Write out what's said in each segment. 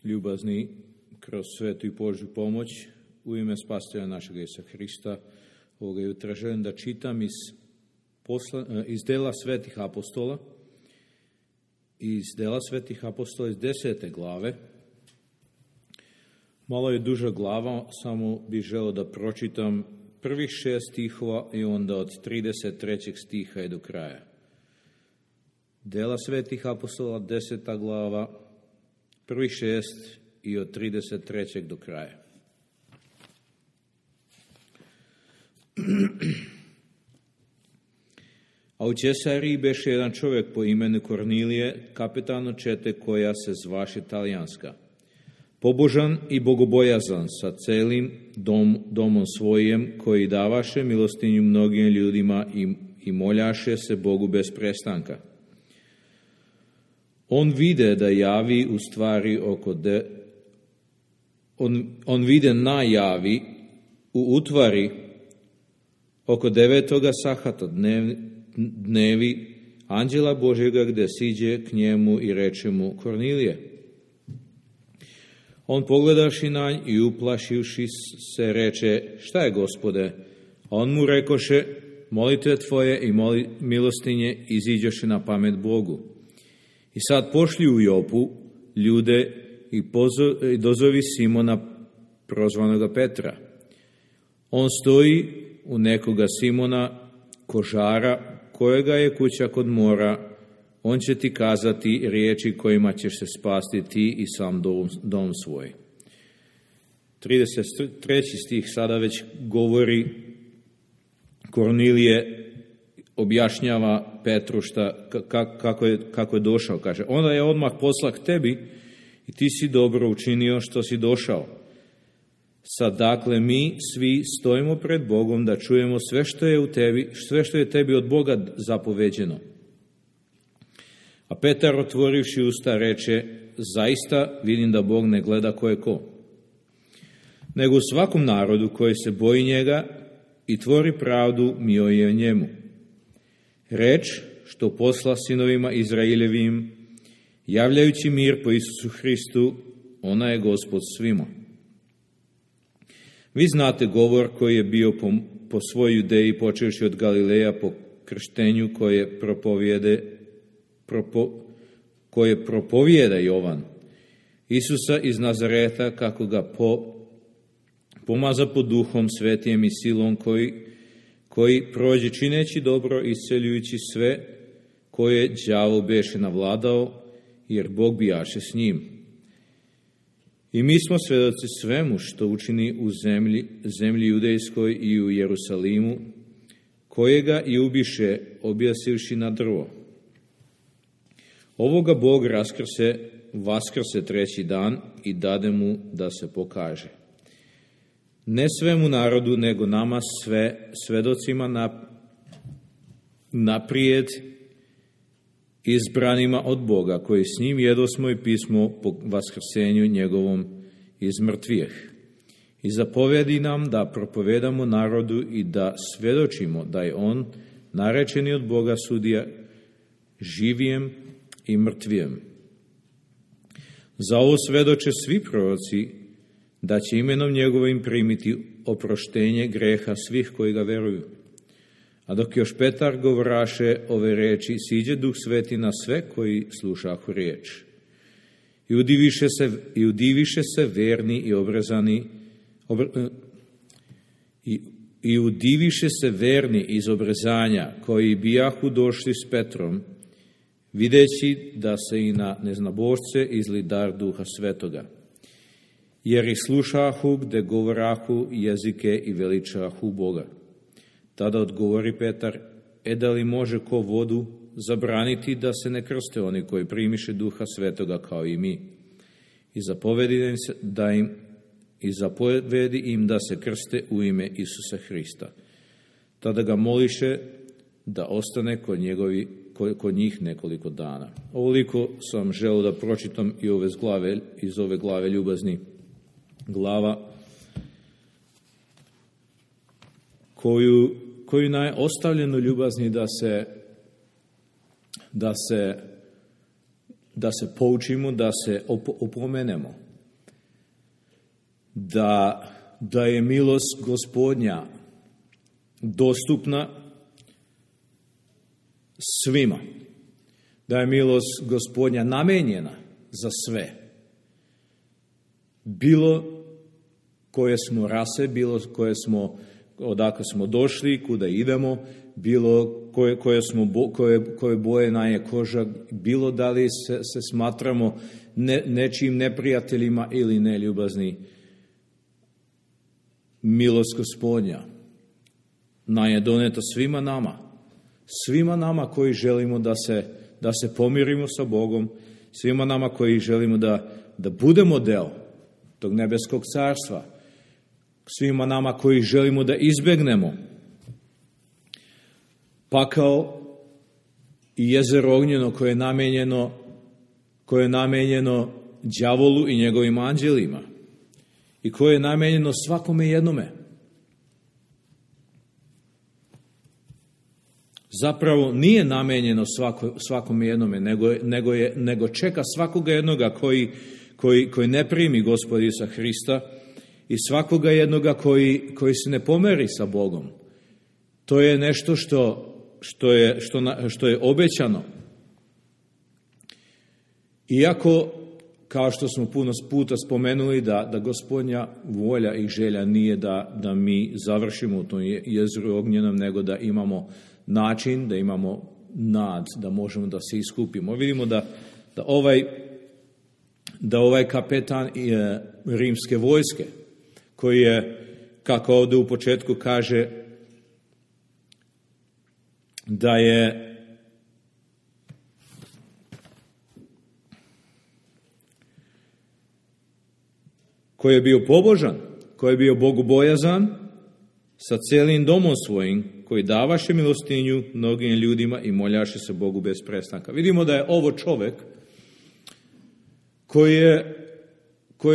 ljubazni, kroz svetu i Božju pomoć, u ime Spasitelja našeg Isusa Hrista, ovoga jutra želim da čitam iz dela svetih apostola, iz 10. glave. Malo je duža glava, samo bih želeo da pročitam prvih 6 stihova i onda od 33. stiha i do kraja. Dela svetih apostola, 10. glava, prvih 6 i od 33. do kraja. A u Cesariji beše jedan čovjek po imenu Kornilije, kapetano čete koja se zvaše Talijanska. Pobožan i bogobojazan sa celim domom svojim, koji davaše milostinju mnogim ljudima i moljaše se Bogu bez prestanka. On vide da javi u stvari on vide najavi u utvari oko 9. sahata dnevi anđela Božjega, gde siđe k njemu i reče mu: Kornilije. On pogledaši na nj i uplašivši se reče: šta je, Gospode? A on mu rekoše: molitve tvoje i milostinje iziđoše na pamet Bogu. I sad pošli u Jopu ljude i dozovi Simona, prozvanoga Petra. On stoji u nekoga Simona, kožara, kojega je kuća kod mora. On će ti kazati riječi kojima ćeš se spasti ti i sam dom svoj. 33. stih sada već govori, Kornilije objašnjava Petru kako je došao. Kaže, onda je odmah posla k tebi i ti si dobro učinio što si došao. Sad dakle mi svi stojimo pred Bogom da čujemo sve što je tebi od Boga zapoveđeno. A Petar, otvorivši usta, reče: zaista vidim da Bog ne gleda ko je ko, nego u svakom narodu koji se boji njega i tvori pravdu mio je njemu. Reč što posla sinovima Izraeljevim, javljajući mir po Isusu Hristu, ona je Gospod svima. Vi znate govor koji je bio po svoj Judeji, počevši od Galileja po krštenju koje propovijeda Jovan, Isusa iz Nazareta, kako ga pomaza pod Duhom Svetijem i silom, koji prođe čineći dobro, isceljujući sve koje đavo beše navladao, jer Bog bijaše s njim. I mi smo svedoci svemu što učini u zemlji judejskoj i u Jerusalimu, kojega i ubiše, objasivši na drvo. Ovoga Bog vaskrse 3. dan i dade mu da se pokaže. Ne svemu narodu, nego nama svedocima naprijed izbranima od Boga, koji s njim jedosmo i pismo po vaskrsenju njegovom iz mrtvijeh. I zapovedi nam da propovedamo narodu i da svedočimo da je on, narečeni od Boga, sudija živijem i mrtvijem. Za ovo svedoče svi proroci, da će imenom njegovim primiti oproštenje greha svih koji ga veruju. A dok još Petar govoraše ove reči, siđe Duh Sveti na sve koji slušahu riječ. I udiviše se verni i obrezani, i udiviše se verni iz obrezanja, koji bijahu došli s Petrom, videći da se i na neznabošce izli dar Duha Svetoga. Jer ih slušahu gde govorahu jezike i veličahu Boga. Tada odgovori Petar: da li može ko vodu zabraniti da se ne krste oni koji primiše Duha Svetoga kao i mi? I zapovedi im da se krste u ime Isusa Hrista. Tada ga moliše da ostane kod njih nekoliko dana. Ovoliko sam želeo da pročitam i iz ove glave ljubazni. Glava koju nam je ostavljeno ljubazni da se poučimo, da se opomenemo. da je milost Gospodnja dostupna svima, da je milost Gospodnja namenjena za sve. Bilo koje smo rase, bilo odakle smo došli, kuda idemo, bilo koje boje nam je koža, bilo da li se smatramo nečijim neprijateljima ili neljubazni. Milost Gospodnja nam je doneta svima nama koji želimo da se pomirimo sa Bogom, svima nama koji želimo da budemo deo tog nebeskog carstva, svima nama koji želimo da izbegnemo pakao i jezero ognjeno koje je namenjeno đavolu i njegovim anđelima i koje je namenjeno svakome jednome. Zapravo nije namenjeno svakome jednome, nego čeka svakoga jednoga koji ne primi Gospoda Isusa Hrista i svakoga jednoga koji se ne pomeri sa Bogom. To je nešto što je obećano. Iako, kao što smo puno puta spomenuli, da Gospodnja volja i želja nije da mi završimo u tom jezeru ognjenom, nego da imamo način, da imamo nad, da možemo da se iskupimo. Vidimo da ovaj kapetan rimske vojske, koji je, kako ovdje u početku kaže, da je koji je bio pobožan, koji je bio bogobojazan sa cijelim domom svojim, koji davaše milostinju mnogim ljudima i moljaše se Bogu bez prestanka. Vidimo da je ovo čovjek koji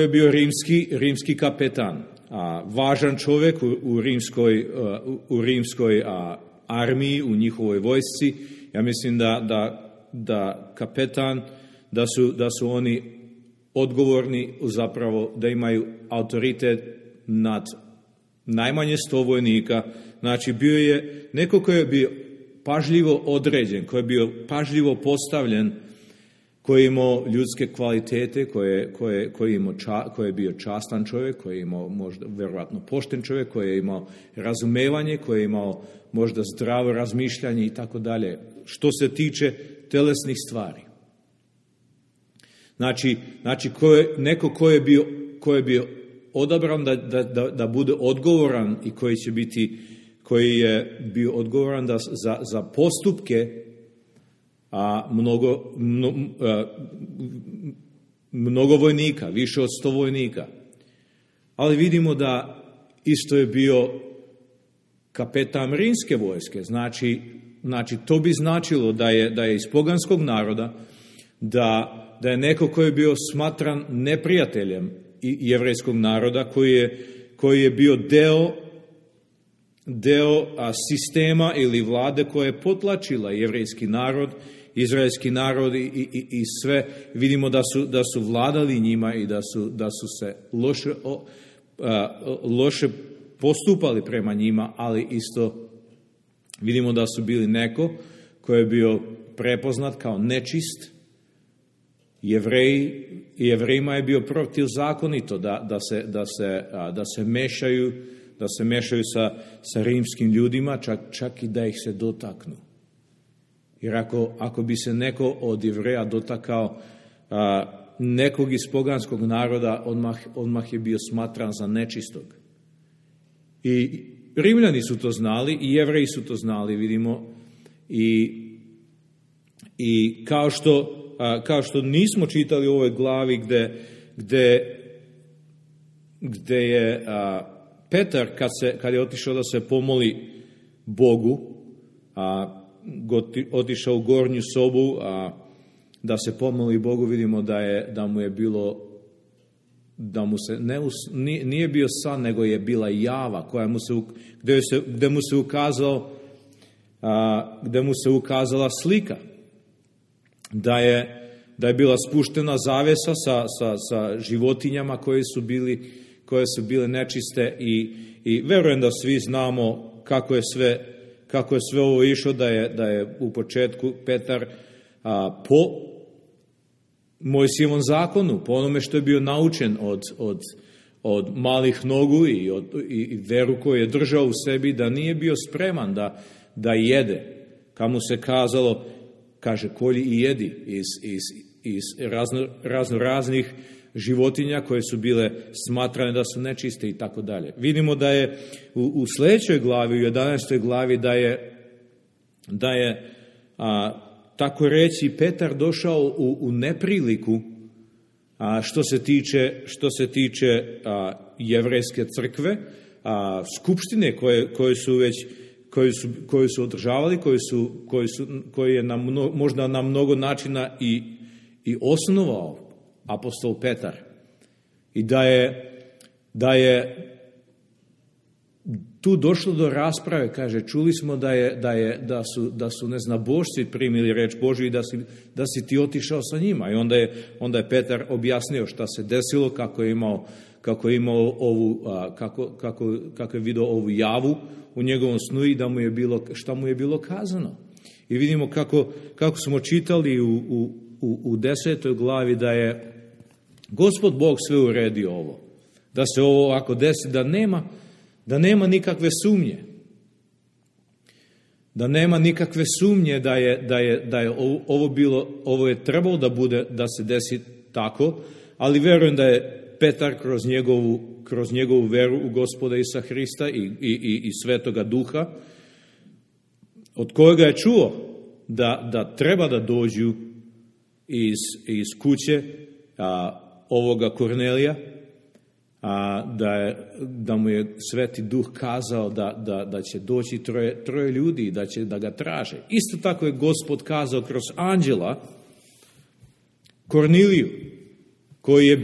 je bio rimski kapetan, važan čovjek u rimskoj armiji, u njihovoj vojsci. Ja mislim da kapetan, da su oni odgovorni, zapravo da imaju autoritet nad najmanje 100 vojnika. Znači bio je neko koji je bio pažljivo određen, koji je bio pažljivo postavljen, koji je imao ljudske kvalitete, koji je bio častan čovjek, koji je imao možda vjerojatno pošten čovjek, koji je imao razumevanje, koji je imao možda zdravo razmišljanje i tako dalje, što se tiče telesnih stvari. Znači neko ko je bio odabran da bude odgovoran i koji je bio odgovoran za postupke mnogo vojnika, više od 100 vojnika. Ali vidimo da isto je bio kapetan rimske vojske. Znači to bi značilo da je iz poganskog naroda, da je neko koji je bio smatran neprijateljem jevrejskog naroda, koji je bio deo sistema ili vlade koja je potlačila jevrejski narod, izraelski narod i sve. Vidimo da su vladali njima i da su se loše postupali prema njima, ali isto vidimo da su bili neko koji je bio prepoznat kao nečist. Jevrejima je bio protivzakonito da se mešaju sa rimskim ljudima, čak i da ih se dotaknu. Jer ako bi se neko od Jevreja dotakao nekog iz poganskog naroda, odmah je bio smatran za nečistog. I Rimljani su to znali, i Jevreji su to znali, vidimo. I kao što nismo čitali u ovoj glavi gde je Petar, kad je otišao da se pomoli Bogu, otišao u gornju sobu da se pomoli Bogu, vidimo da mu je bilo, da mu se nije bio san, nego je bila java gde mu se ukazala slika, da je bila spuštena zavesa sa životinjama koje su bile nečiste i verujem da svi znamo kako je sve ovo išlo, da je u početku Petar po Mojsijevom zakonu, po onome što je bio naučen od malih nogu i veru koju je držao u sebi, da nije bio spreman da jede. Kamu se kazalo, kaže, kolji i jedi iz raznih životinja koje su bile smatrane da su nečiste i tako dalje. Vidimo da je u sljedećoj glavi, u 11. glavi, da je tako reći Petar došao u nepriliku što se tiče jevrejske crkve, skupštine koje su održavali, koji je možda na mnogo načina i osnovao apostol Petar. I da je tu došlo do rasprave, kaže, čuli smo da su neznabošci primili reč Božju i da si ti otišao sa njima. I onda je Petar objasnio šta se desilo, kako je vidio ovu javu u njegovom snu i šta mu je bilo kazano. I vidimo kako smo čitali u 10. glavi da je Gospod Bog sve uredio ovo. Da se ovo ovako desi, da nema nikakve sumnje. Da nema nikakve sumnje da je ovo je trebalo da se desi tako, ali verujem da je Petar kroz njegovu veru u Gospoda Isusa Hrista i Svetoga Duha, od kojega je čuo da treba da dođu iz kuće ovoga Kornelija, da mu je Sveti Duh kazao da će doći troje ljudi, da ga traže. Isto tako je Gospod kazao kroz anđela Korneliju, koji je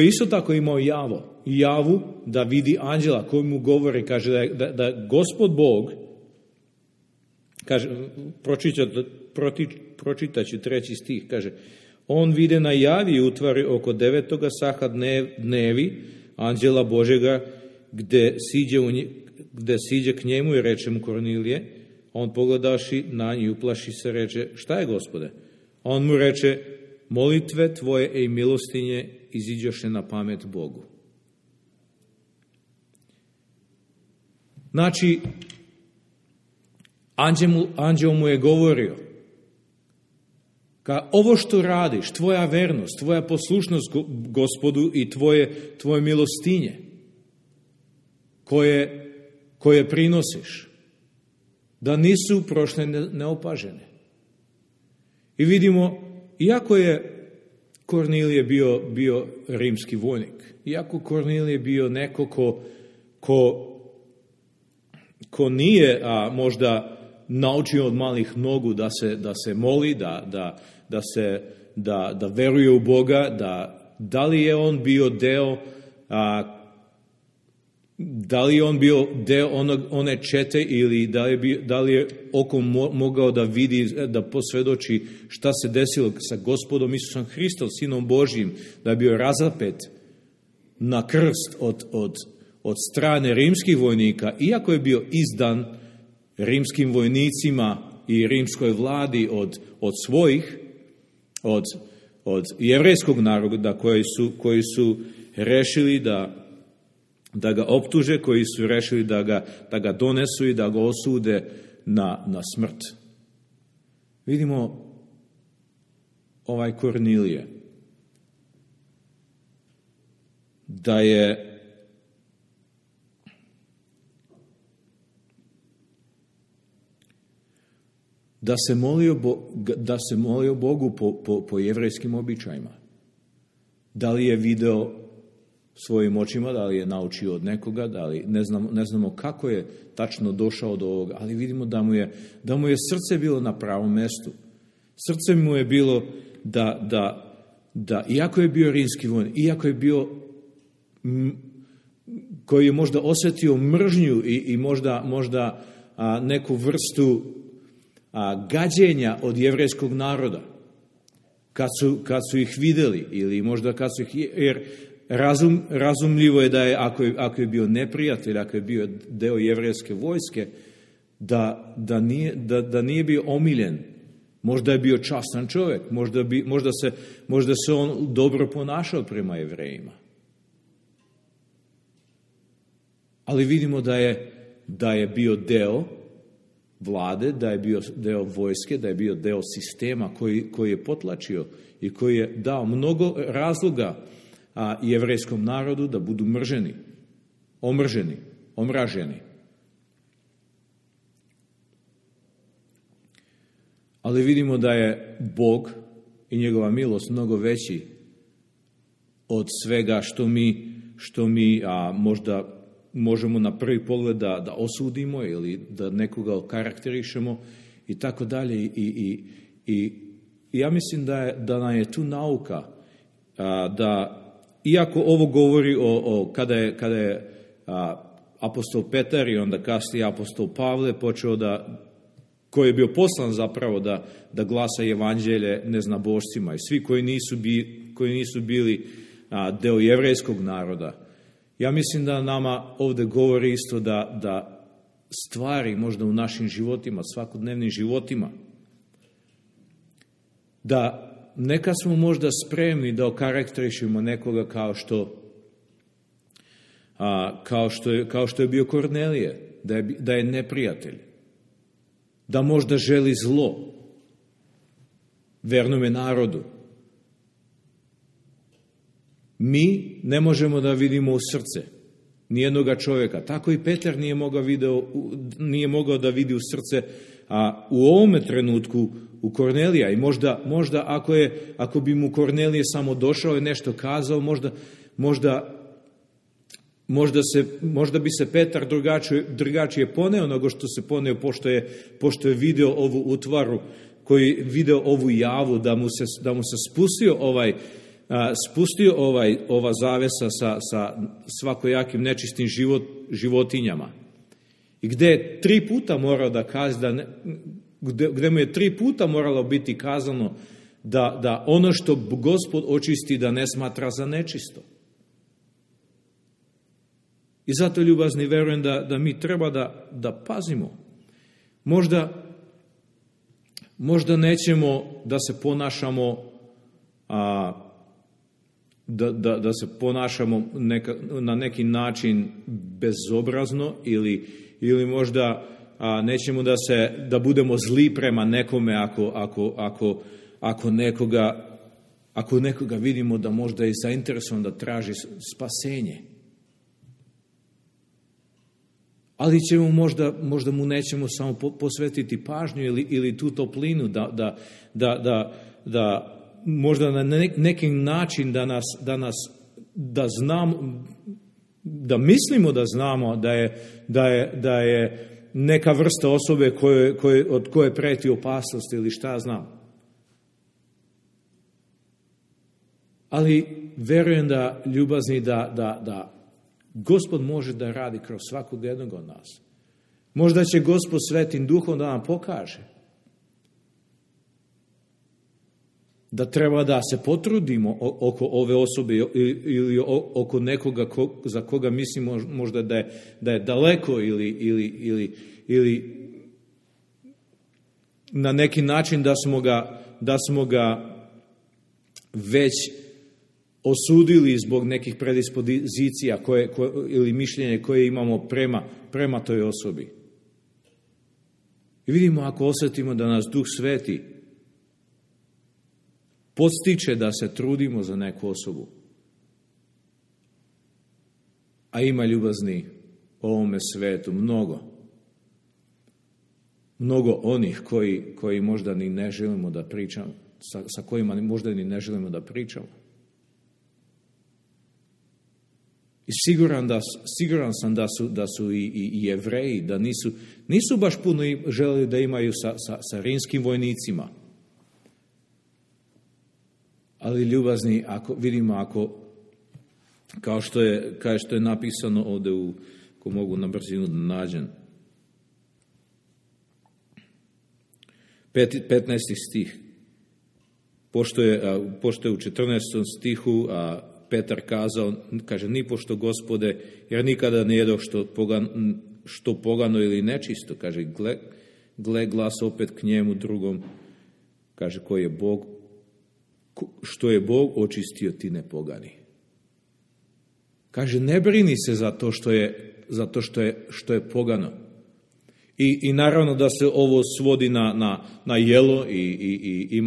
isto tako imao javu da vidi anđela koji mu govori, kaže da Gospod Bog, kaže, pročitaću 3. stih, kaže, on vide na javi i utvari oko 9. saha dnevi anđela Božega gde siđe k njemu i reče mu Kornilije, on pogledaši na nju, uplaši se, reče, šta je, Gospode? On mu reče, molitve tvoje i milostinje iziđoše na pamet Bogu. Znači, anđeo mu je govorio, ovo što radiš, tvoja vernost, tvoja poslušnost Gospodu i tvoje milostinje koje prinosiš, da nisu prošle neopažene. I vidimo, iako je Kornilije bio rimski vojnik, iako Kornilije bio neko ko nije možda naučio od malih nogu da se moli, da veruje u Boga, da li je on bio deo one čete ili da li je oko mogao da vidi, da posvjedoči šta se desilo sa Gospodom Isusom Hristom, Sinom Božjim, da je bio razapet na krst od strane rimskih vojnika, iako je bio izdan rimskim vojnicima i rimskoj vladi od svojih, od jevrejskog naroda koji su rešili da ga optuže, koji su rešili da ga donesu i da ga osude na smrt. Vidimo ovaj Kornilije, da se molio Bogu po jevrejskim običajima. Da li je video svojim očima, da li je naučio od nekoga, ne znamo kako je tačno došao do ovoga, ali vidimo da mu je srce bilo na pravom mestu. Srce mu je bilo da iako je bio rimski vojnik, iako je bio koji je možda osjetio mržnju i možda neku vrstu gađenja od jevrejskog naroda. Kad su ih vidjeli, ili možda kad su ih, jer razumljivo je da je, ako je bio neprijatelj, ako je bio deo jevrejske vojske, da nije bio omiljen. Možda je bio častan čovjek, možda se on dobro ponašao prema Jevrejima. Ali vidimo da je bio deo vlade, da je bio deo vojske, da je bio deo sistema koji je potlačio i koji je dao mnogo razloga jevrejskom narodu da budu mrženi, omraženi. Ali vidimo da je Bog i njegova milost mnogo veći od svega što mi možda možemo na prvi pogled da osudimo ili da nekoga okarakterišemo i tako dalje. I ja mislim da nam je tu nauka da, iako ovo govori kada je apostol Petar i onda kasnije apostol Pavle počeo koji je bio poslan zapravo da glasa evanđelje neznabošcima i svi koji nisu bili deo jevrejskog naroda. Ja mislim da nama ovdje govori isto da stvari možda u našim životima, svakodnevnim životima, da neka smo možda spremni da okarakterišemo nekoga kao što je bio Kornelije, da je neprijatelj, da možda želi zlo vernome narodu. Mi ne možemo da vidimo u srce nijednoga čovjeka. Tako i Petar nije mogao da vidi u srce, a u ovome trenutku u Kornelija. I možda ako bi mu Kornelije samo došao i nešto kazao, možda bi se Petar drugačije poneo nego što se poneo pošto je video ovu utvaru, koji je video ovu javu da mu se spustio ova zavesa sa svakojakim nečistim životinjama. I gdje je 3 puta morao da kaže, gdje mu je 3 puta moralo biti kazano da ono što Gospod očisti da ne smatra za nečisto. I zato, ljubazni, verujem da mi treba da pazimo. Možda nećemo da se ponašamo da se ponašamo na neki način bezobrazno ili možda nećemo da budemo zli prema nekome ako nekoga vidimo da možda je zainteresovan da traži spasenje. Ali ćemo možda mu nećemo samo posvetiti pažnju ili tu toplinu da možda na neki način da znamo, da mislimo da znamo da je neka vrsta osobe od koje preti opasnost ili šta znam. Ali verujem da, ljubazni, da Gospod može da radi kroz svakog jednog od nas. Možda će Gospod Svetim Duhom da nam pokaže da treba da se potrudimo oko ove osobe ili oko nekoga za koga mislimo možda da je daleko ili na neki način da smo ga već osudili zbog nekih predispozicija ili mišljenja koje imamo prema toj osobi. I vidimo, ako osjetimo da nas Duh Sveti podstiče da se trudimo za neku osobu, a ima, ljubazni, u ovome svetu mnogo onih koji možda ni ne želimo da pričamo, sa kojima možda ni ne želimo da pričamo. I siguran sam da su i Jevreji, da nisu baš puno želeli da imaju sa rimskim vojnicima. Ali, ljubazni, ako kao što je napisano ovdje ko mogu na brzinu da nađem. 15. stih. Pošto je u 14. stihu Petar kazao, kaže, nipošto Gospode, jer nikada ne jedoh što pogano ili nečisto. Kaže, gle glas opet k njemu drugom, kaže, koji je Bog, što je Bog očistio, ti ne pogani. Kaže, ne brini se za to što je pogano. I naravno da se ovo svodi na jelo i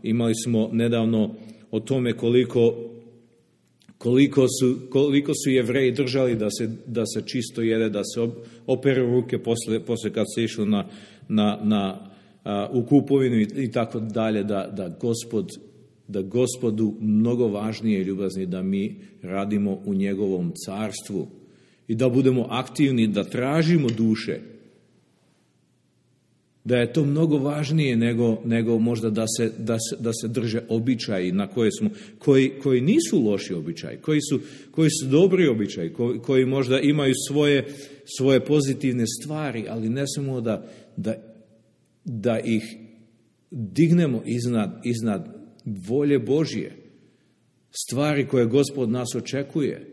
imali smo nedavno o tome koliko su Jevreji držali da se čisto jede, da se operu ruke posle kad se išlo u kupovinu i tako dalje, da Gospodu mnogo važnije i ljubazni da mi radimo u njegovom carstvu i da budemo aktivni, da tražimo duše. Da je to mnogo važnije nego možda da se drže običaji na koje smo, koji nisu loši običaji, koji su dobri običaji, koji možda imaju svoje pozitivne stvari, ali ne samo da ih dignemo iznad volje Božje, stvari koje Gospod nas očekuje,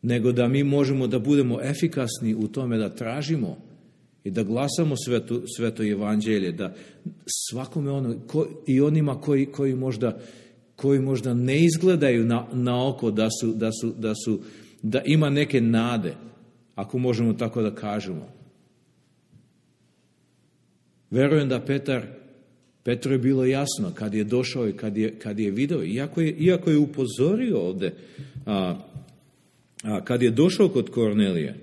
nego da mi možemo da budemo efikasni u tome da tražimo i da glasamo sveto evanđelje, da svakome i onima koji možda ne izgledaju na oko da ima neke nade, ako možemo tako da kažemo. Verujem da Petru je bilo jasno kad je došao i kad je video, iako je upozorio ovde, kad je došao kod Kornelije,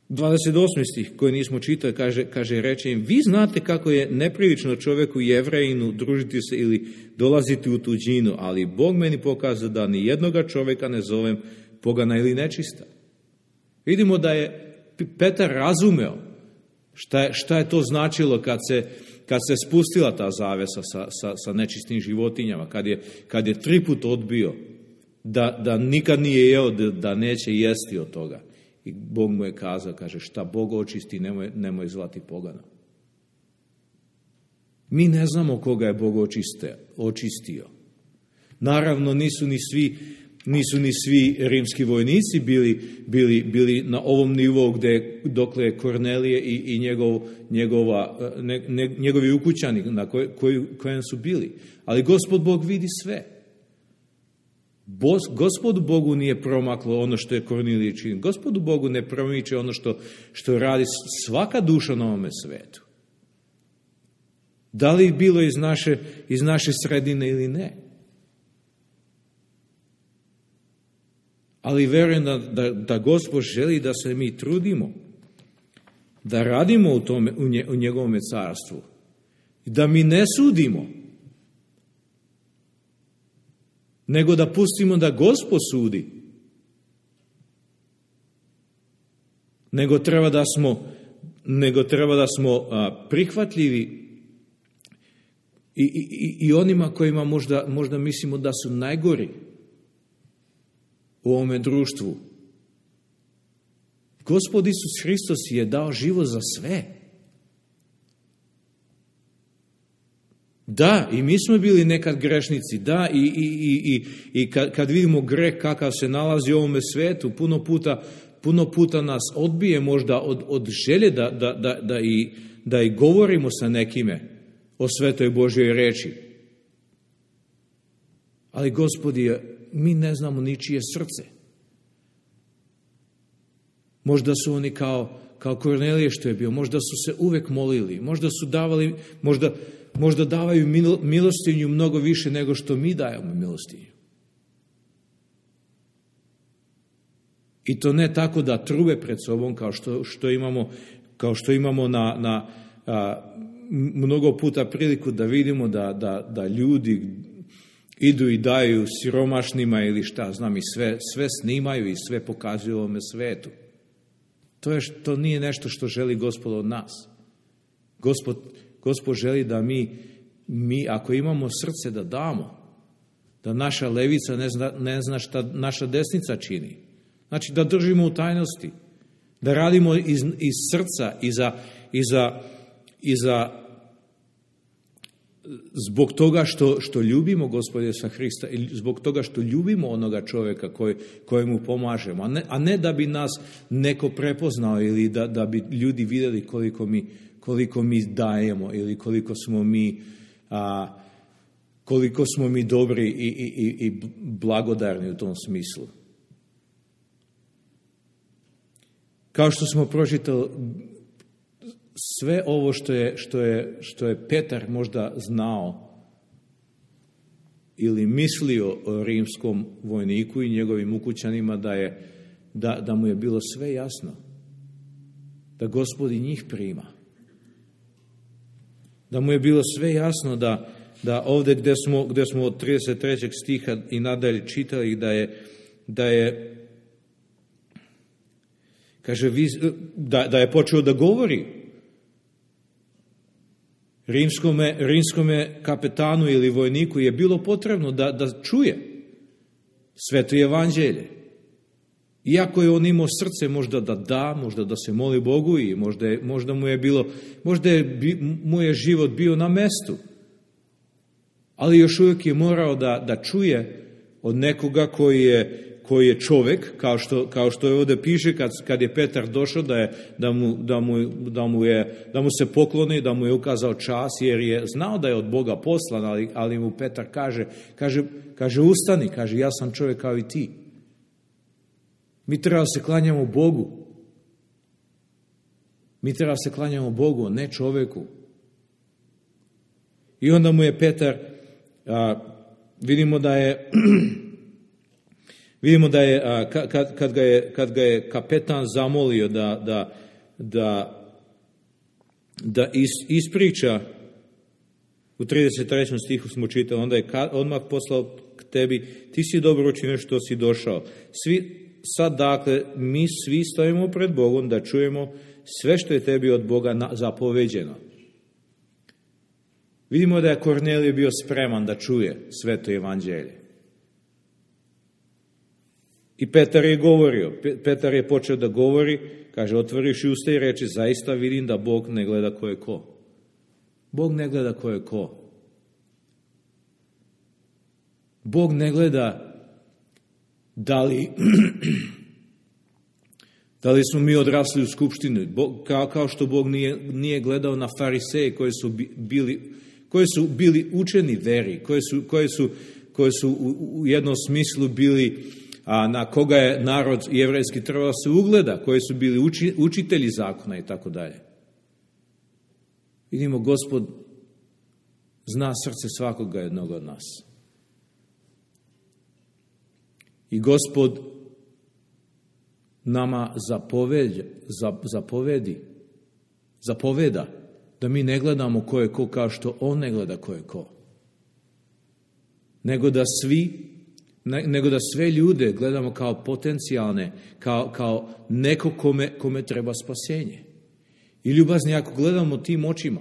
28. stih koji nismo čitali, kaže, reče im, vi znate kako je neprilično čoveku Jevrejinu družiti se ili dolaziti u tuđinu, ali Bog meni pokazao da ni jednoga čoveka ne zovem pogana ili nečista. Vidimo da je Petar razumeo šta je to značilo kad se spustila ta zavesa sa nečistim životinjama, kad je 3 put odbio da nikad nije jeo, da neće jesti od toga. I Bog mu je kazao, kaže, šta Bog očisti, nemoj zvati pogana. Mi ne znamo koga je Bog očistio. Naravno, nisu ni svi rimski vojnici bili na ovom nivou dokle je Kornelije i njegovi ukućani na kojem su bili. Ali Gospod Bog vidi sve. Gospodu Bogu nije promaklo ono što je Kornelije činio. Gospodu Bogu ne promiče ono što radi svaka duša na ovome svetu. Da li bilo iz naše sredine ili ne. Ali verujem da Gospod želi da se mi trudimo, da radimo u njegovome carstvu, da mi ne sudimo, nego da pustimo da Gospod sudi. Nego treba da smo prihvatljivi i onima kojima možda mislimo da su najgori u ovome društvu. Gospod Isus Hristos je dao život za sve. Da, i mi smo bili nekad grešnici, da, i kad vidimo greh kakav se nalazi u ovome svetu, puno puta nas odbije možda od želje da i govorimo sa nekime o svetoj Božjoj reči. Ali Gospod mi ne znamo ničije srce. Možda su oni kao Kornelije što je bio, možda su se uvek molili, možda su davali, možda davaju milostinju mnogo više nego što mi dajemo milostinju. I to ne tako da trube pred sobom kao što imamo na mnogo puta priliku da vidimo da ljudi idu i daju siromašnima ili šta znam i sve snimaju i sve pokazuju ovome svetu. To nije nešto što želi Gospod od nas. Gospod želi da mi ako imamo srce da damo, da naša levica ne zna šta naša desnica čini, Znači da držimo u tajnosti, da radimo iz srca zbog toga što ljubimo Gospoda Isusa Hrista i zbog toga što ljubimo onoga čovjeka kojemu pomažemo, a ne da bi nas neko prepoznao ili da bi ljudi vidjeli koliko mi dajemo ili koliko smo mi dobri i blagodarni u tom smislu. Kao što smo pročitali, sve ovo što je Petar možda znao ili mislio o rimskom vojniku i njegovim ukućanima, da mu je bilo sve jasno, da Gospod i njih prima. Da mu je bilo sve jasno da ovdje gdje smo od 33. stiha i nadalje čitali da je kaže, da je počeo da govori rimskome kapetanu ili vojniku je bilo potrebno da čuje sveto evanđelje. Iako je on imao srce možda da se moli Bogu i možda mu je život bio na mestu. Ali još uvijek je morao da čuje od nekoga koji je čovjek, kao što je ovdje piše kad je Petar došao da mu se pokloni, da mu je ukazao čas, jer je znao da je od Boga poslan, ali mu Petar kaže ustani, kaže ja sam čovjek kao i ti. Mi treba se klanjamo Bogu. Mi treba se klanjamo Bogu, ne čovjeku. I onda mu je Petar, vidimo da je kad ga je kapetan zamolio da ispriča, u 33. stihu smo čitali, onda je odmah poslao k tebi, ti si dobro učinio što si došao. Sad dakle, mi svi stojimo pred Bogom da čujemo sve što je tebi od Boga zapoveđeno. Vidimo da je Kornelije bio spreman da čuje sveto evanđelje. I Petar je govorio, Petar je počeo da govori, kaže, otvoriš usta i reči, zaista vidim da Bog ne gleda ko je ko. Bog ne gleda ko je ko. Bog ne gleda da li smo mi odrasli u skupštini, kao što Bog nije gledao na fariseje koji su bili učeni veri, koji su u jednom smislu bili, na koga je narod jevrejski trebao se ugleda, koji su bili učitelji zakona i tako dalje. Vidimo, Gospod zna srce svakoga jednog od nas. I Gospod nama zapoveda da mi ne gledamo ko je ko kao što On ne gleda ko je ko. Nego da sve ljude gledamo kao potencijalne, kao neko kome treba spasenje. I ljubazni, ako gledamo tim očima,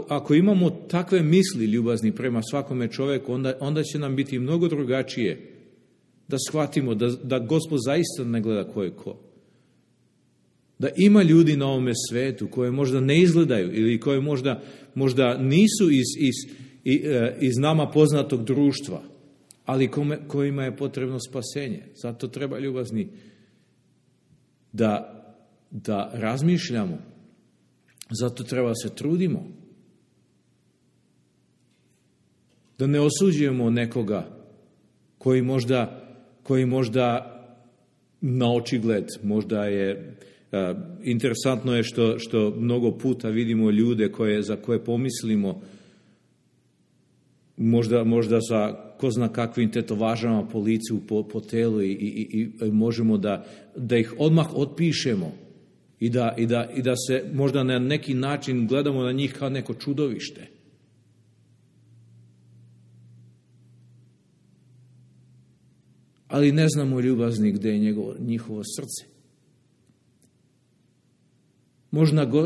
ako imamo takve misli ljubazni prema svakome čovjeku, onda će nam biti mnogo drugačije da shvatimo da Gospod zaista ne gleda ko je ko. Da ima ljudi na ovome svetu koje možda ne izgledaju ili koje možda nisu iz nama poznatog društva, ali kojima je potrebno spasenje. Zato treba, ljubazni, da razmišljamo. Zato treba se trudimo. Da ne osuđujemo nekoga koji možda na očigled, možda je interesantno je što mnogo puta vidimo ljude za koje pomislimo možda sa ko zna kakvim tetovažama po licu, po telu i možemo da ih odmah otpišemo i da se možda na neki način gledamo na njih kao neko čudovište. Ali ne znamo, ljubazni, gdje je njihovo srce.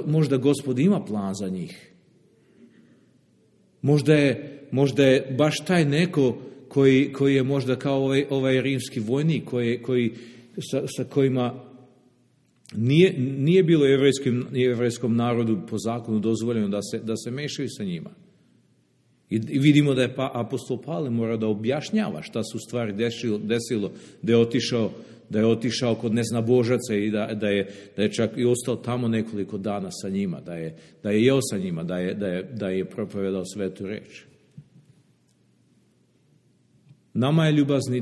Možda Gospod ima plan za njih. možda je baš taj neko koji je možda kao ovaj rimski vojnik, koji sa kojima nije bilo jevrejskom narodu po zakonu dozvoljeno da se mešaju sa njima. I vidimo da je apostol Pavle mora da objašnjava šta se u stvari desilo, da je otišao kod neznabožaca i da je čak i ostao tamo nekoliko dana sa njima, da je jeo sa njima, da je propovedao svetu reč. Nama je ljubazni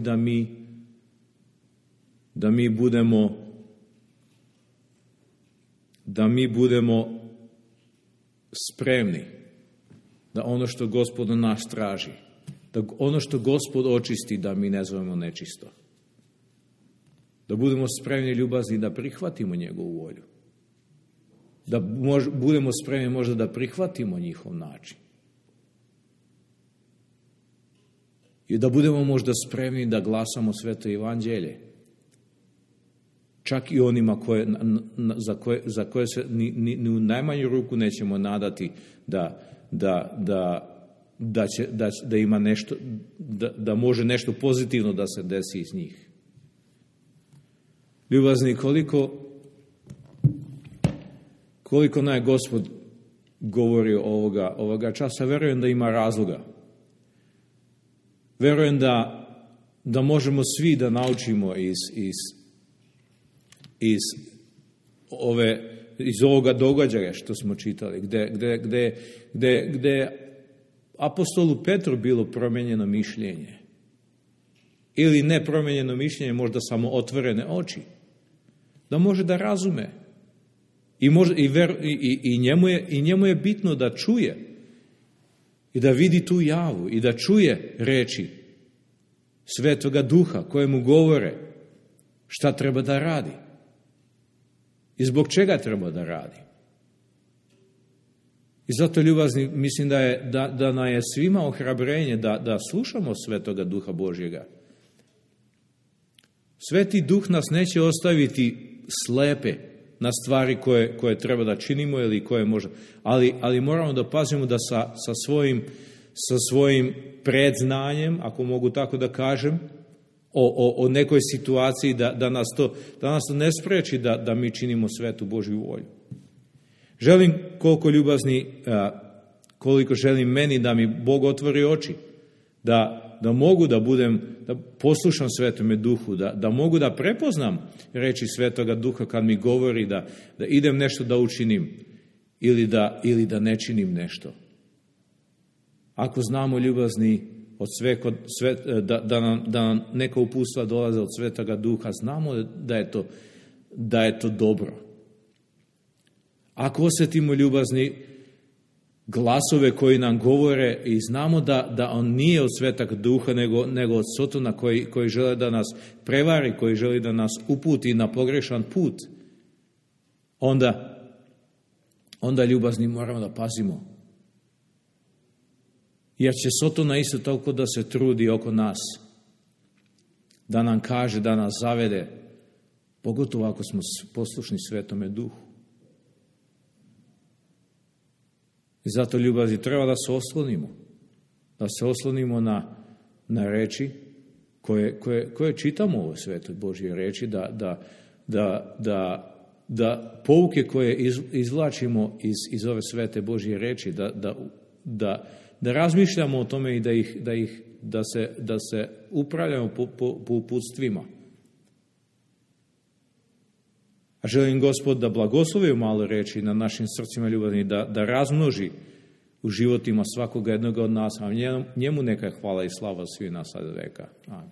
da mi budemo spremni da ono što Gospod od nas traži, da ono što Gospod očisti, da mi ne zovemo nečisto. Da budemo spremni, ljubazni, da prihvatimo njegovu volju. Da budemo spremni možda da prihvatimo njihov način. I da budemo možda spremni da glasamo sveto evanđelje. Čak i onima za koje se ni u najmanju ruku nećemo nadati da ima nešto, da može nešto pozitivno da se desi iz njih. Ljubazni, koliko nam je Gospod govorio ovoga časa, verujem da ima razloga. Verujem da možemo svi da naučimo iz ovoga događaja što smo čitali, gde apostolu Petru bilo promijenjeno mišljenje. Ili ne promijenjeno mišljenje, možda samo otvorene oči. Da može da razume. I njemu je bitno da čuje i da vidi tu javu i da čuje reči Svetoga Duha koje mu govore šta treba da radi i zbog čega treba da radi. I zato, ljubazni, mislim da nam je svima ohrabrenje da slušamo Svetoga Duha Božjega. Sveti Duh nas neće ostaviti slepe na stvari koje treba da činimo ili koje možda, ali moramo da pazimo da sa svojim predznanjem, ako mogu tako da kažem, o nekoj situaciji da nas to ne spreči da mi činimo svetu Božju volju. Želim, koliko želim meni da mi Bog otvori oči, da mogu da poslušam Svetome Duhu, da mogu da prepoznam reči Svetoga Duha kad mi govori da idem nešto da učinim ili da ne činim nešto. Ako znamo, ljubazni, da nam neka uputstva dolaze od Svetoga Duha, znamo da je to dobro. Ako osjetimo, ljubazni, glasove koji nam govore i znamo da on nije od Svetog Duha nego od Sotona koji žele da nas prevari, koji želi da nas uputi na pogrešan put, onda, ljubazni, moramo da pazimo. Jer će Sotona isto toliko da se trudi oko nas, da nam kaže, da nas zavede, pogotovo ako smo poslušni Svetome Duhu. I zato, ljubavi, treba da se oslonimo na reči koje čitamo u ovoj Svetoj Božje reči, da pouke koje izvlačimo iz ove Svete Božje reči, da razmišljamo o tome i da se upravljamo po uputstvima. A želim Gospod da blagoslovi malo reči na našim srcima, ljubazni, da razmnoži u životima svakoga jednoga od nas, a njemu neka hvala i slava svi nas sad veka. Amen.